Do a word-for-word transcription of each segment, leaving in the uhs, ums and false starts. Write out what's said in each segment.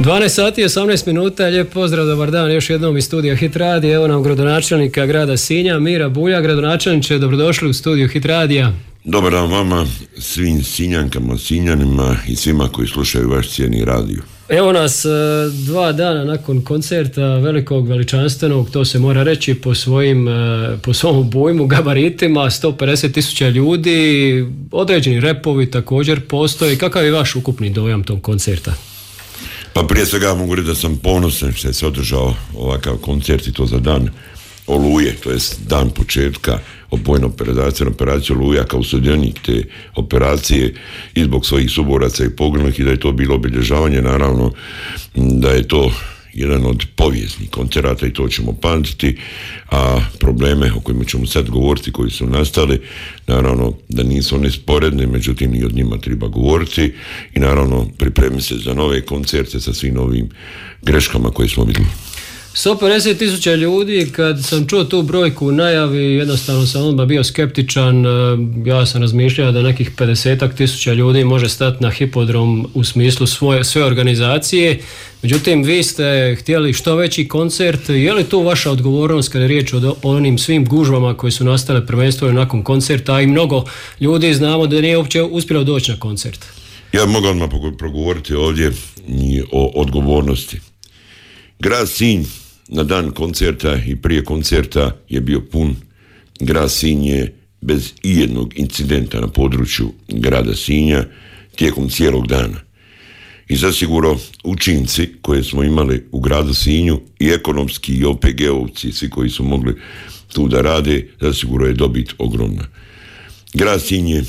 dvanaest sati i osamnaest minuta, lijep pozdrav, dobar dan još jednom iz studija Hit Radija. Evo nam gradonačelnika grada Sinja, Mira Bulja. Gradonačelniče, dobrodošli u studiju Hit Radija. Dobar dan vama, svim Sinjankama, Sinjanima i svima koji slušaju vaš cijeni radio. Evo nas dva dana nakon koncerta velikog, veličanstvenog, to se mora reći po svojim, po svom obujmu, gabaritima, sto pedeset tisuća ljudi, određeni repovi također postoje. Kakav je vaš ukupni dojam tog koncerta? Pa prije svega mogu reći da sam ponosan što se održao ovakav koncert i to za dan Oluje, to jest dan početka opojne operacije, operacije Oluja kao sudionik te operacije i zbog svojih suboraca i poginulih i da je to bilo obilježavanje, naravno da je to jedan od povijesnih koncerata i to ćemo pamtiti, a probleme o kojima ćemo sad govoriti koji su nastali, naravno da nisu one sporedne, međutim i od njima treba govoriti i naravno pripremi se za nove koncerte sa svim novim greškama koje smo vidjeli. sto pedeset tisuća ljudi, kad sam čuo tu brojku u najavi, jednostavno sam odmah bio skeptičan. Ja sam razmišljao da nekih pedeset tisuća ljudi može stati na hipodrom u smislu svoje, sve organizacije. Međutim, vi ste htjeli što veći koncert. Je li tu vaša odgovornost kada je riječ o onim svim gužvama koje su nastale prvenstveno nakon koncerta, a i mnogo ljudi znamo da nije uopće uspjelo doći na koncert? Ja mogu odmah progovoriti ovdje o odgovornosti. Grad Sinj na dan koncerta i prije koncerta je bio pun. Grad Sinj je bez ijednog incidenta na području grada Sinja tijekom cijelog dana. I zasigurno učinci koje smo imali u gradu Sinju i ekonomski i O P G-ovci, svi koji su mogli tu da rade, zasigurno je dobit ogromna. Grad Sinj je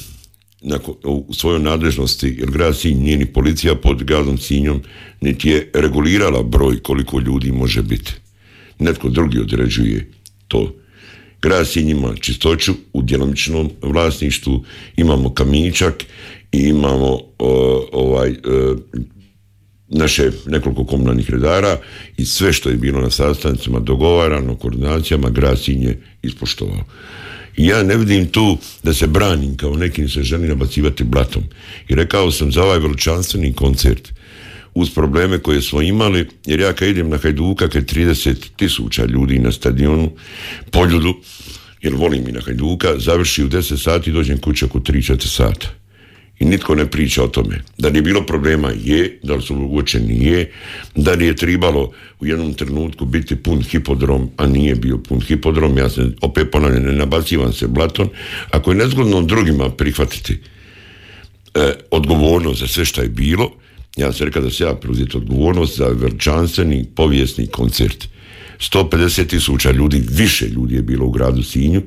u svojoj nadležnosti, jer grad Sinj nije ni policija pod gradom Sinjom, niti je regulirala broj koliko ljudi može biti. Netko drugi određuje to. Grad Sinj ima čistoću u djelomičnom vlasništvu, imamo kamičak i imamo uh, ovaj uh, naše nekoliko komunalnih redara i sve što je bilo na sastancima dogovarano, koordinacijama, grad Sinj je ispoštovao. I ja ne vidim tu da se branim kao nekim se želi nabacivati blatom. I rekao sam za ovaj veličanstveni koncert uz probleme koje smo imali, jer ja kad idem na Hajduka, kad je trideset tisuća ljudi na stadionu, Poljudu, jer volim i na Hajduka, završi u deset sati i dođem kući oko tri četiri sata. I nitko ne priča o tome. Da li je bilo problema? Je. Da li su uočeni? Je. Da li je trebalo u jednom trenutku biti pun hipodrom, a nije bio pun hipodrom? Ja se opet ponavljam, ne nabacivam se blatom. Ako je nezgodno drugima prihvatiti e, odgovornost za sve što je bilo, ja sam rekao da se ja preuzeti odgovornost za veličanstveni povijesni koncert. sto pedeset tisuća ljudi, više ljudi je bilo u gradu Sinju,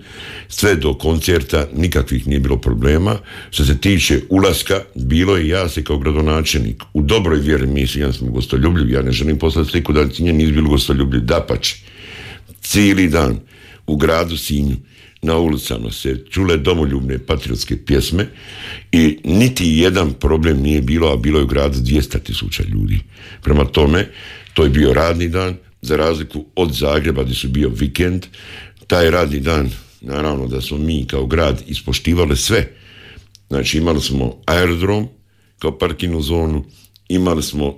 sve do koncerta nikakvih nije bilo problema. Što se tiče ulaska, bilo je, ja se kao gradonačelnik u dobroj vjeri, mi Sinjani smo gostoljubljivi, ja ne želim poslati sliku da Sinjani nisu bili gostoljubljivi, dapače. Cijeli dan u gradu Sinju na ulicama se čule domoljubne patriotske pjesme i niti jedan problem nije bilo, a bilo je u gradu dvjesto tisuća ljudi. Prema tome, to je bio radni dan, za razliku od Zagreba gdje su bio vikend. Taj radni dan, naravno da smo mi kao grad ispoštivali sve. Znači imali smo aerodrom kao parkinu zonu, imali smo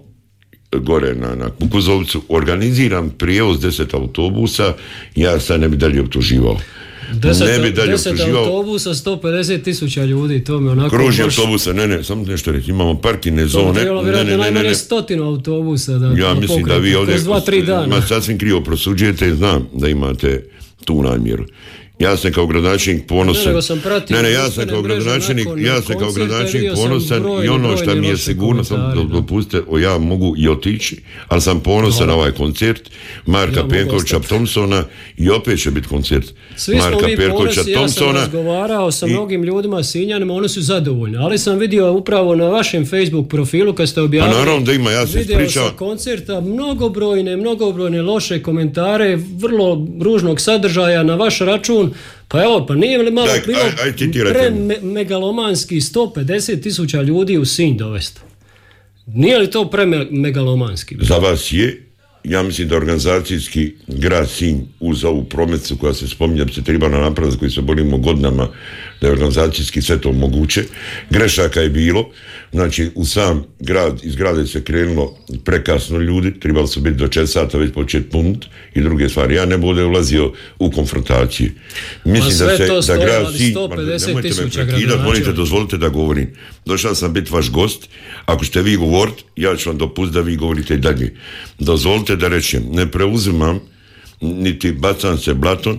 gore na, na Kukuzovcu organiziran prijevoz deset autobusa, ja sad ne bi dalje optuživao. Deset, ne bi dalje deset autobusa, sto pedeset tisuća ljudi, to mi onako... Kruži baš... autobusa, ne, ne, samo nešto reći, imamo parkine zone... To bi trebalo vjerojatno najmanje stotinu autobusa da... Ja mislim da vi ovdje ma, sasvim krivo prosuđujete i znam da imate tu namjeru. Ja sam kao gradonačelnik ponosan. Ne, ne, ne, ja sam kao gradonačelnik, ja sam kao gradonačelnik ponosan i ono što mi je sigurno, sam dopustite, o ja mogu i otići, ali sam ponosan na ovaj koncert Marka ja Penkovića Thompsona i opet će biti koncert Svi Marka Penkovića Thompsona. Ja sam razgovarao sa i... mnogim ljudima, Sinjanima, oni su zadovoljni, ali sam vidio upravo na vašem Facebook profilu kad ste objavili pa naravno da ima, ja se video ispričavam. Sa koncerta, mnogobrojne, mnogobrojne loše komentare, vrlo ružnog sadržaja na vaš račun. Pa evo, pa nije li malo Daj, bilo aj, aj, pre me, megalomanski sto pedeset tisuća ljudi u Sinj dovesti? Nije li to pre me, megalomanski? Za vas je, ja mislim da organizacijski grad Sinj uz ovu prometnicu koja se spominja bi se trebala napraviti, koji se borimo godinama da je organizacijski sve to moguće. Grešaka je bilo, znači u sam grad, iz grada se krenulo prekasno ljudi, trebali su biti do četiri sata već početi punut i druge stvari. Ja ne bude ulazio u konfrontacije. Mislim da se, da grad Sinj, nemojte me prekidati, molite, dozvolite da govorim. Došao sam biti vaš gost, ako ćete vi govoriti, ja ću vam dopustiti da vi govorite i dalje. Dozvolite da rečem, ne preuzimam, niti bacam se blatom,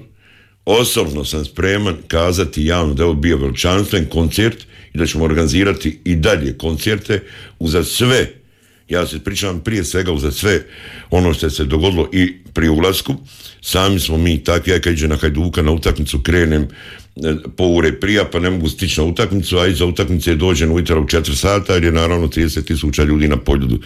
osobno sam spreman kazati javno da je ovo bio veličanstven koncert i da ćemo organizirati i dalje koncerte uza sve, ja se pričam prije svega uza sve ono što se dogodilo i pri ulasku. Sami smo mi takvi, ja kad iđe na Hajduka na utakmicu krenem po ure prija pa ne mogu stići na utakmicu, a iza utakmice dođem ujutro u četiri sata jer je naravno trideset tisuća ljudi na Poljudu.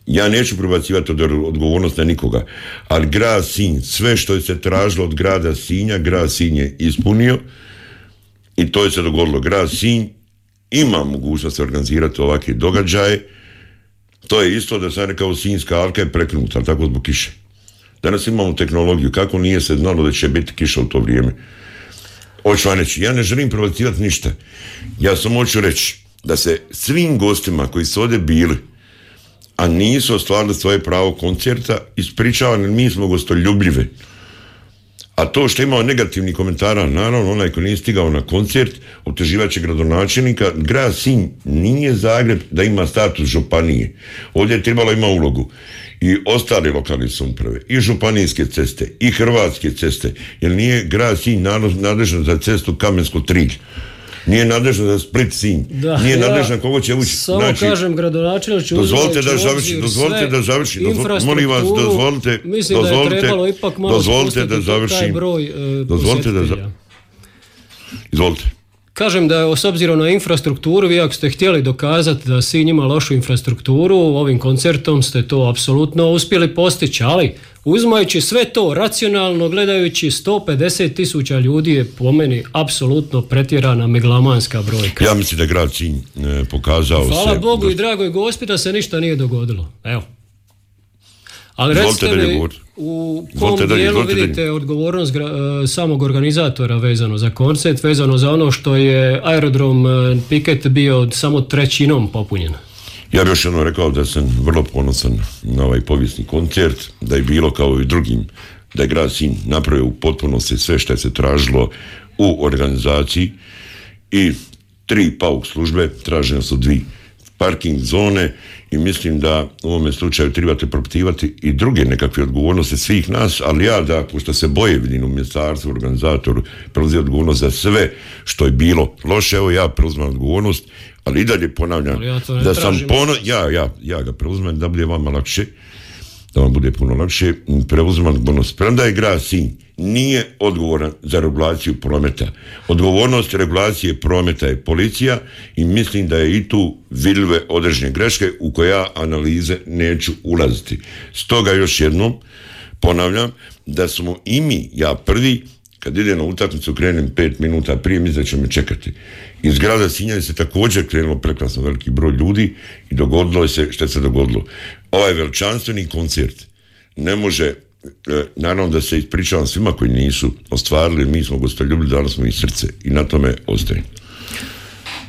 Ja neću prebacivati od odgovornost na nikoga, ali grad Sinj, sve što je se tražilo od grada Sinja, grad Sinj je ispunio i to je se dogodilo. Grad Sinj ima mogućnost organizirati ovakve događaje. To je isto da sam rekao Sinjska alka je prekinuta, ali tako zbog kiše. Danas imamo tehnologiju, kako nije se znalo da će biti kiša u to vrijeme. Hoću vam reći, ja ne želim prebacivati ništa. Ja samo hoću reći da se svim gostima koji su ovdje bili a nisu ostvarili svoje pravo koncerta, ispričavani, mi smo gostoljubljive. A to što je imao negativni komentara, naravno, onaj ko nije stigao na koncert, optuživaće gradonačelnika. Grad Sinj nije Zagreb da ima status županije. Ovdje je trebalo ima ulogu i ostale lokalne samouprave, i županijske ceste, i hrvatske ceste, jer nije grad Sinj nadležan za cestu Kamensko-Trilj. Nije nadležno za Split Sinj, da, nije ja nadležno kogo će ući. Samo znači, kažem, gradonačelnik će dozvolite da završi, dozvolite da završi, molim vas, dozvolite, mislim dozvolite, da je trebalo ipak malo dozvolite da završim, broj, e, dozvolite da za... Izvolite. Kažem da je s obzirom na infrastrukturu, vi ako ste htjeli dokazati da Sinj ima lošu infrastrukturu, ovim koncertom ste to apsolutno uspjeli postići, ali uzimajući sve to racionalno gledajući, sto pedeset tisuća ljudi je po meni apsolutno pretjerana megalomanska brojka. Ja mislim da je grad Sinj e, pokazao Hvala se... Hvala Bogu do... i dragoj Gospi da se ništa nije dogodilo. Evo. Ali recite mi u kom Zvolite dijelu dalje, vidite dalje. odgovornost gra, samog organizatora vezano za koncert, vezano za ono što je aerodrom Piket bio samo trećinom popunjen? Ja bih još jednom rekao da sam vrlo ponosan na ovaj povijesni koncert, da je bilo kao i drugim, da je grad Sinj napravio u potpunosti sve što je se tražilo u organizaciji i tri pauk službe, tražene su dvi parking zone i mislim da u ovome slučaju trebate propitivati i druge nekakve odgovornosti svih nas, ali ja da, pošto se boje vidim u ministarstvu, organizatoru, preuzeti odgovornost za sve što je bilo loše, evo ja preuzimam odgovornost, ali i dalje ponavljam ja da sam pono... Ja, ja, ja ga preuzimam da bude vama lakše, da vam bude puno lakše, preuzimam odgovornost. Premda je grad Sinj nije odgovoran za regulaciju prometa. Odgovornost regulacije prometa je policija i mislim da je i tu vidljive određene greške u koje ja analize neću ulaziti. Stoga još jednom ponavljam da smo i mi, ja prvi, kad idem na utakmicu krenem pet minuta prije, mislim da će me čekati. Iz grada Sinja se također krenulo prekrasno veliki broj ljudi i dogodilo se što se dogodilo. Ovaj veličanstveni koncert ne može, naravno da se ispričavam svima koji nisu ostvarili, mi smo gostoljubili, dali smo i srce i na tome ostaje.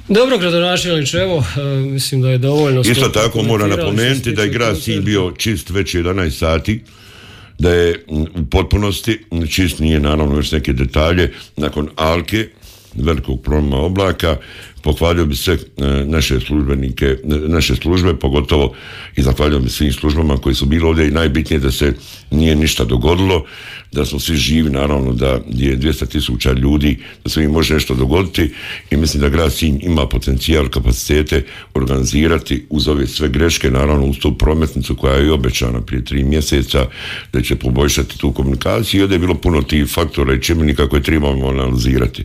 Dobro, gradonačelniče, evo, mislim da je dovoljno. Isto tako moram napomenuti da je grad Sinj bio čist već jedanaest sati, da je u potpunosti čist, nije naravno još neke detalje, nakon alke, velikog promjena oblaka, pohvalio bi sve naše službenike, naše službe, pogotovo i zahvalio bi svim službama koji su bili ovdje i najbitnije da se nije ništa dogodilo, da smo svi živi, naravno da je dvjesto tisuća ljudi, da se im može nešto dogoditi i mislim da grad Sinj ima potencijal, kapacitete organizirati uz ove sve greške, naravno uz tu prometnicu koja je i obećana prije tri mjeseca da će poboljšati tu komunikaciju i ovdje je bilo puno tih faktora i čimbenika koje trebamo analizirati.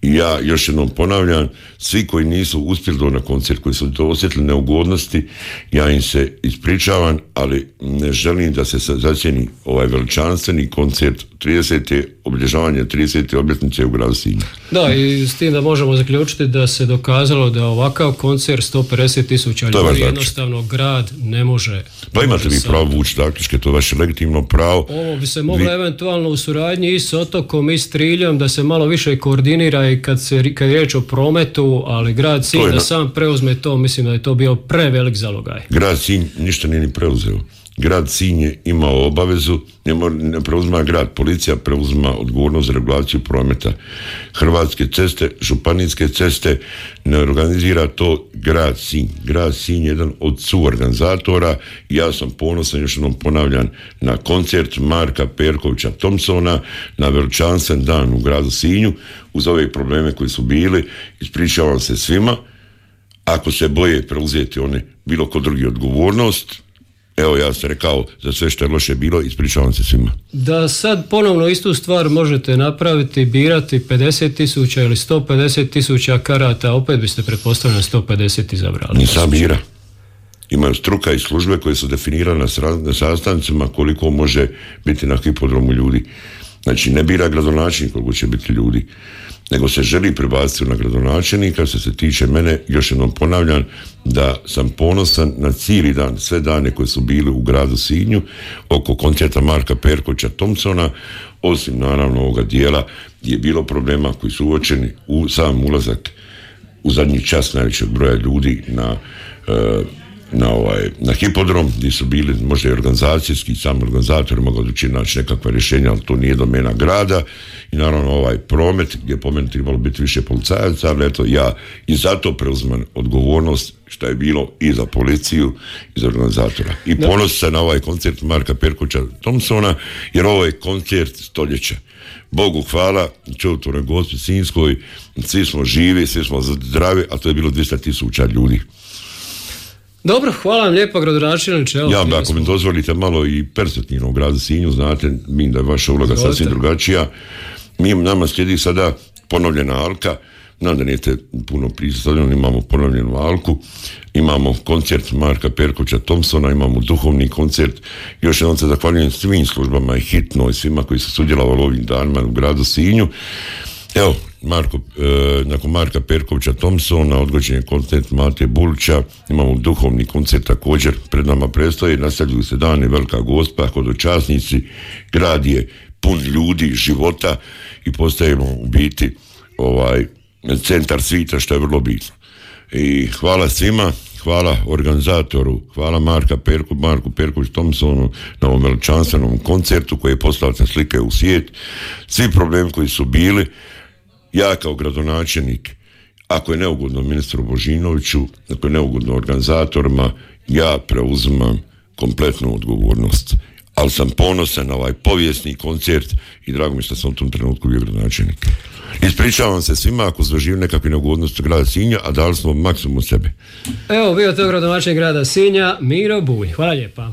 I ja još jednom ponavljam, svi koji nisu uspjeli do na koncert, koji su to osjetili neugodnosti, ja im se ispričavam, ali ne želim da se zacijeni ovaj veličanstveni koncert tridesete obilježavanje tridesete obljetnice u gradu Sinju. Da, i s tim da možemo zaključiti da se dokazalo da ovakav koncert sto pedeset tisuća ljudi jednostavno grad ne može. Pa imate vi pravo vući zaključke, to je vaše legitimno pravo. Ovo bi se moglo vi... eventualno u suradnji i s Otokom i s Triljom da se malo više koordinira i i kad, se, kad je riječ o prometu, ali grad Sinj da na... sam preuzme to, mislim da je to bio prevelik zalogaj. Grad Sinj ništa nije ni preuzeo. Grad Sinj je imao obavezu, ne, ne preuzima grad, policija preuzima odgovornost za regulaciju prometa. Hrvatske ceste, županijske ceste, ne organizira to grad Sinj. Grad Sinj je jedan od suorganizatora i ja sam ponosan, još jednom ponavljam, na koncert Marka Perkovića Thompsona na veličanstven dan u gradu Sinju. Uz ove probleme koji su bili, ispričavam se svima. Ako se boje preuzeti one bilo ko drugi odgovornost, evo ja sam rekao za sve što je loše bilo, ispričavam se svima. Da sad ponovno istu stvar možete napraviti, birati pedeset tisuća ili sto pedeset tisuća karata, opet biste pretpostavljeno sto pedeset izabrali. Nisam bira. Imaju struka i službe koje su definirane na sastancima koliko može biti na hipodromu ljudi. Znači ne bira gradonačelnik koliko će biti ljudi, nego se želi prebaciti na gradonačelnika. Što se tiče mene, još jednom ponavljam da sam ponosan na cijeli dan, sve dane koje su bili u gradu Sinju oko koncerta Marka Perkovića Thompsona, osim naravno ovoga dijela je bilo problema koji su uočeni u sam ulazak u zadnji čas najvećeg broja ljudi na uh, na, ovaj, na hipodrom, gdje su bili možda i organizacijski, sami organizatori mogu odlučiti naći nekakva rješenja, ali to nije domena grada. I naravno ovaj promet, gdje po meni trebalo biti više policajaca, ali eto ja i zato preuzimam odgovornost što je bilo i za policiju i za organizatora. I ponosim se na ovaj koncert Marka Perkovića Thompsona, jer ovo je koncert stoljeća. Bogu hvala, čudotvornoj Gospi Sinjskoj, svi smo živi, svi smo zdravi, a to je bilo dvjesto tisuća ljudi. Dobro, hvala vam lijepo, gradonačelniče. Ja, ako mi dozvolite malo i perspektivno u gradu Sinju, znate, mi da je vaša uloga sasvim drugačija. Mi nama slijedi sada ponovljena Alka, znam da nijete puno prisutno, imamo ponovljenu Alku, imamo koncert Marka Perkovića Thompsona, imamo duhovni koncert. Još jednom se zahvaljujem svim službama i hitno i svima koji su sudjelovali ovim danima u gradu Sinju. Evo, Marko, e, nakon Marka Perkovića Thompsona odgođen je koncert Mate Bulića, imamo duhovni koncert također, pred nama predstoji, nastavljuju se dani Velika Gospa, hodočasnici, grad je pun ljudi, života i postajemo u biti ovaj, centar svita, što je vrlo bitno. I hvala svima, hvala organizatoru, hvala Marka Perku, Marku Perković Thompsonu na ovom veličanstvenom koncertu koji je poslao te slike u svijet. Svi problemi koji su bili, ja kao gradonačelnik, ako je neugodno ministru Božinoviću, ako je neugodno organizatorima, ja preuzimam kompletnu odgovornost. Ali sam ponosan na ovaj povijesni koncert i drago mi što sam u tom trenutku bio gradonačelnik. Ispričavam se svima ako su doživjeli nekakve neugodnosti grada Sinja, a dali smo maksimum sebe. Evo, bio to gradonačelnik grada Sinja, Miro Bulj. Hvala lijepa.